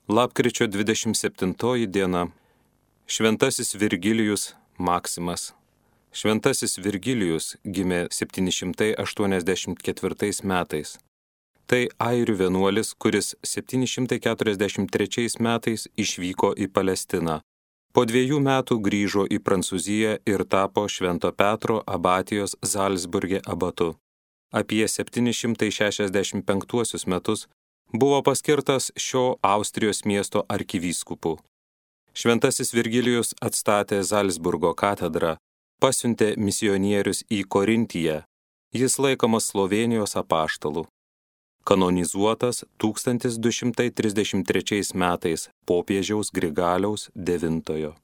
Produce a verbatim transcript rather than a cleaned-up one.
Lapkričio dvidešimt septintoji diena. Šventasis Virgilijus Maksimas. Šventasis Virgilijus gimė septyni šimtai aštuoniasdešimt ketvirtais metais. Tai airių vienuolis, kuris septyni šimtai keturiasdešimt trečiais metais išvyko į Palestiną. Po dviejų metų grįžo į Prancūziją ir tapo Švento Petro abatijos Zalcburge abatu. Apie septyni šimtai šešiasdešimt penktuosius metus buvo paskirtas šio Austrijos miesto arkivyskupu. Šventasis Virgilijus atstatė Zalcburgo katedrą, pasiuntė misionierius į Korintiją. Jis laikomas Slovėnijos apaštalu. Kanonizuotas tūkstantis du šimtai trisdešimt trečiais metais popiežiaus Grigaliaus devintojo.